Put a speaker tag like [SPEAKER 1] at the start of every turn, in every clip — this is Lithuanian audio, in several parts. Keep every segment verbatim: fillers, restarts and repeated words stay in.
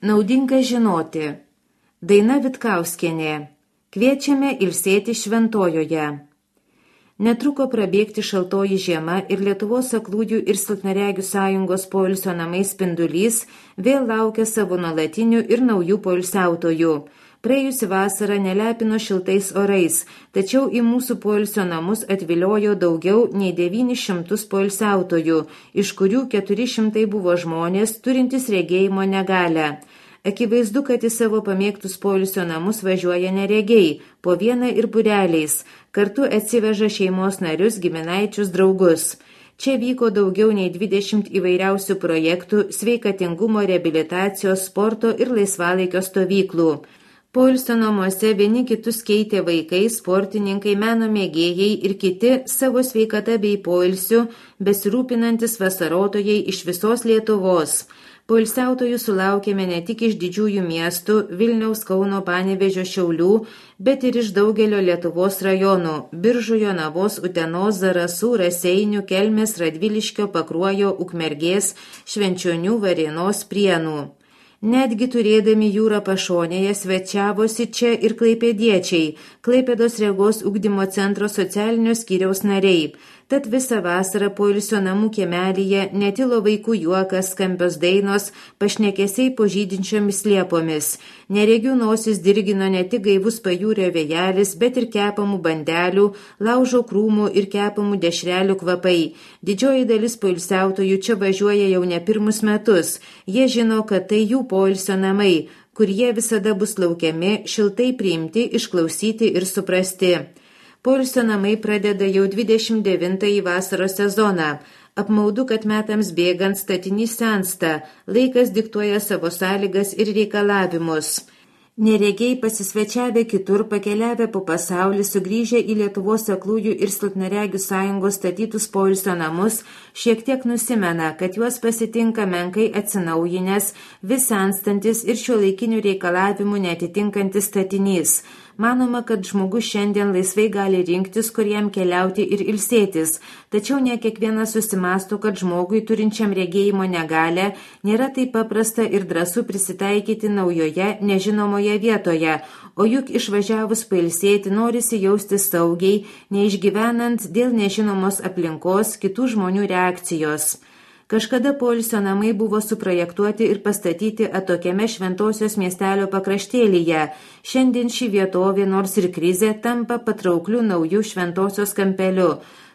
[SPEAKER 1] Naudinga žinoti. Daina Vitkauskienė. Kviečiame ilsėti šventojoje. Netruko prabėgti šaltoji žiema ir Lietuvos aklųjų ir silpnaregių sąjungos poilsio namai Spindulys vėl laukia savo nuolatinių ir naujų poilsiautojų. Praėjusi vasara nelepino šiltais orais, tačiau į mūsų poilsio namus atviliojo daugiau nei devynis šimtus poilsiautojų, iš kurių keturi šimtai buvo žmonės turintys regėjimo negalią. Akivaizdu, kad į savo pamėgtus poilsio namus važiuoja neregiai, po vieną ir būreliais, kartu atsiveža šeimos narius, giminaičius, draugus. Čia vyko daugiau nei dvidešimt įvairiausių projektų, sveikatingumo, reabilitacijos, sporto ir laisvalaikio stovyklų. Poilsio namuose vieni kitus keitė vaikai, sportininkai, meno mėgėjai ir kiti savo sveikata bei poilsiu besirūpinantis vasarotojai iš visos Lietuvos. Poilsiautojų sulaukėme ne tik iš didžiųjų miestų Vilniaus, Kauno, Panevėžio, Šiaulių, bet ir iš daugelio Lietuvos rajonų – Biržų, Jonavos, Utenos, Zarasų, Raseinių, Kelmės, Radviliškio, Pakruojo, Ukmergės, Švenčionių, Varėnos, Prienų. Netgi turėdami jūrą pašonėje svečiavosi čia ir klaipėdiečiai, Klaipėdos regos ugdymo centro socialinio skyriaus nariai. Tad visą vasarą poilsio namų kiemelyje netilo vaikų juokas, skambios dainos, pašnekesiai po žydinčiomis liepomis. Neregių nosis dirgino ne tik gaivus pajūrio vėjelis, bet ir kepamų bandelių, laužo krūmų ir kepamų dešrelių kvapai. Didžioji dalis poilsiautojų čia važiuoja jau ne pirmus metus. Jie žino, kad tai jų poilsio namai, kur jie visada bus laukiami, šiltai priimti, išklausyti ir suprasti. Poilsio namai pradeda jau dvidešimt devintąjį vasaros sezoną. Apmaudu, kad metams bėgant statinys sensta, laikas diktuoja savo sąlygas ir reikalavimus. Neregiai pasisvečiavę kitur, pakeliavę po pasaulį, sugrįžę į Lietuvos aklųjų ir silpnaregių sąjungos statytus poilsio namus, šiek tiek nusimena, kad juos pasitinka menkai atsinaujinęs, vis senstantis ir šiuolaikinių reikalavimų neatitinkantis statinys. Manoma, kad žmogus šiandien laisvai gali rinktis, kur jam keliauti ir ilsėtis, tačiau ne kiekvienas susimąsto, kad žmogui turinčiam regėjimo negalią nėra taip paprasta ir drąsu prisitaikyti naujoje, nežinomoje vietoje, o juk išvažiavus pailsėti norisi jaustis saugiai, neišgyvenant dėl nežinomos aplinkos kitų žmonių reakcijos. Kažkada poilsio namai buvo suprojektuoti ir pastatyti atokiame Šventosios miestelio pakraštėlyje. Šiandien ši vietovė, nors ir krizė, tampa patraukliu naujų Šventosios kampeliu.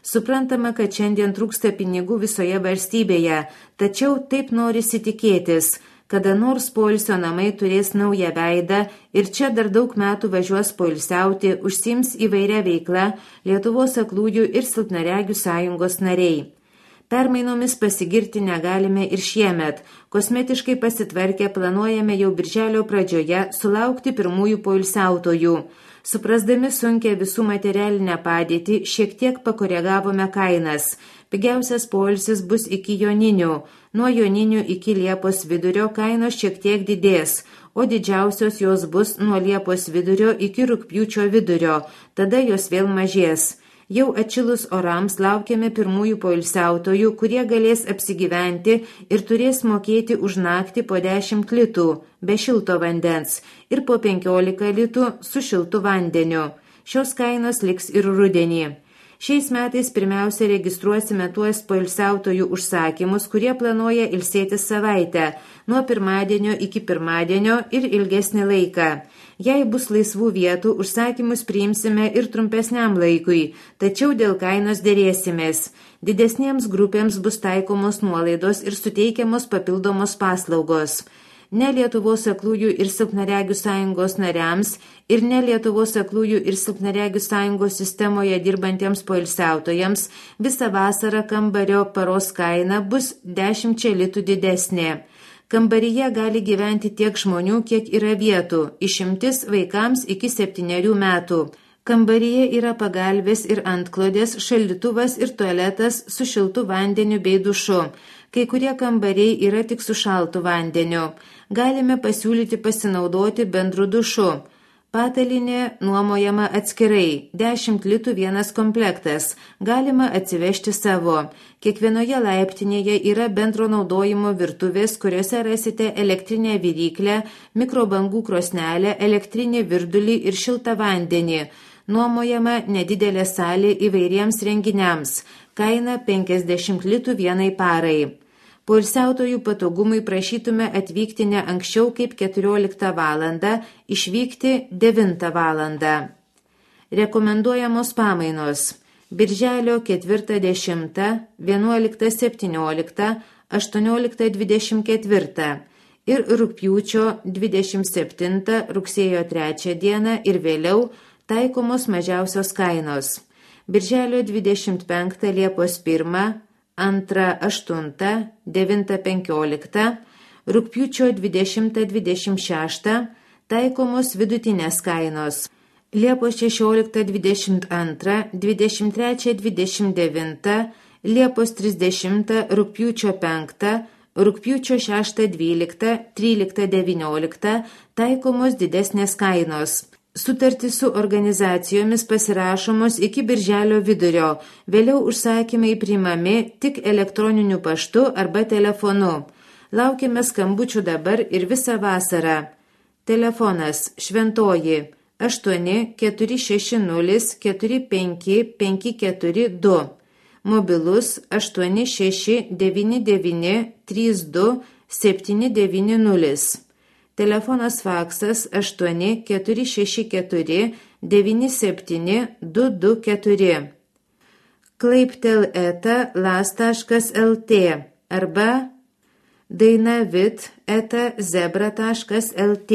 [SPEAKER 1] Suprantama, kad šiandien trūksta pinigų visoje valstybėje, tačiau taip norisi tikėtis. Kada nors poilsio namai turės naują veidą ir čia dar daug metų važiuos poilsiauti, užsiims įvairia veikla Lietuvos aklųjų ir silpnaregių sąjungos nariai. Permainomis pasigirti negalime ir šiemet. Kosmetiškai pasitvarkę planuojame jau birželio pradžioje sulaukti pirmųjų poilsiautojų. Suprasdami sunkią visų materialinę padėtį, šiek tiek pakoregavome kainas. Pigiausias poilsis bus iki Joninių. Nuo Joninių iki Liepos vidurio kainos šiek tiek didės, o didžiausios jos bus nuo Liepos vidurio iki Rugpjūčio vidurio, tada jos vėl mažės. Jau atšilus orams laukiame pirmųjų poilsiautojų, kurie galės apsigyventi ir turės mokėti už naktį po dešimt litų be šilto vandens ir po penkiolika litų su šiltu vandeniu. Šios kainos liks ir rudenį. Šiais metais pirmiausia registruosime tuos poilsiautojų užsakymus, kurie planuoja ilsėtis savaitę, nuo pirmadienio iki pirmadienio ir ilgesnį laiką. Jei bus laisvų vietų, užsakymus priimsime ir trumpesniam laikui, tačiau dėl kainos dėrėsimės. Didesniems grupėms bus taikomos nuolaidos ir suteikiamos papildomos paslaugos. Ne Lietuvos aklųjų ir silpnaregių sąjungos nariams ir ne Lietuvos aklųjų ir silpnaregių sąjungos sistemoje dirbantiems poilsiautojams visą vasarą kambario paros kaina bus dešimčia litų didesnė. Kambaryje gali gyventi tiek žmonių, kiek yra vietų, išimtis vaikams iki septynerių metų. Kambaryje yra pagalvės ir antklodės, šaldytuvas ir tualetas su šiltu vandeniu bei dušu. Kai kurie kambariai yra tik su šaltu vandeniu. Galime pasiūlyti pasinaudoti bendru dušu. Patalinė nuomojama atskirai, dešimt litų vienas komplektas, galima atsivežti savo. Kiekvienoje laiptinėje yra bendro naudojimo virtuvės, kuriuose rasite elektrinę viryklę, mikrobangų krosnelę, elektrinį virdulį ir šiltą vandenį. Nuomojama nedidelė salė įvairiems renginiams, kaina penkiasdešimt litų vienai parai. Poilsiautojų patogumui prašytume atvykti ne anksčiau kaip keturioliktą valandą, išvykti devintą valandą. Rekomenduojamos pamainos. Birželio ketvirtą dešimtą, vienuoliktą septynioliktą, aštuonioliktą dvidešimt ketvirtą ir rugpjūčio dvidešimt septintą, rugsėjo trečią dieną ir vėliau taikomos mažiausios kainos. Birželio dvidešimt penktą, Liepos pirmą, antrą aštuntą, devintą penkioliktą, rugpjūčio dvidešimtą dvidešimt šeštą taikomos vidutinės kainos. Liepos šešioliktą dvidešimt antrą, dvidešimt trečią dvidešimt devintą, Liepos trisdešimtą, rugpjūčio penktą, rugpjūčio šeštą dvyliktą, tryliktą devynioliktą taikomos didesnės kainos. Sutartys su organizacijomis pasirašomos iki birželio vidurio, vėliau užsakymai priimami tik elektroniniu paštu arba telefonu. Laukime skambučių dabar ir visą vasarą. Telefonas Šventoji aštuoni keturi šeši nulis keturi penki penki keturi du. Mobilus aštuoni šeši devyni devyni trys du septyni devyni nulis. Telefonas faksas aštuoni keturi šeši keturi devyni septyni du du keturi. klaiptel eta las taškas lt arba dainavit eta zebra taškas lt.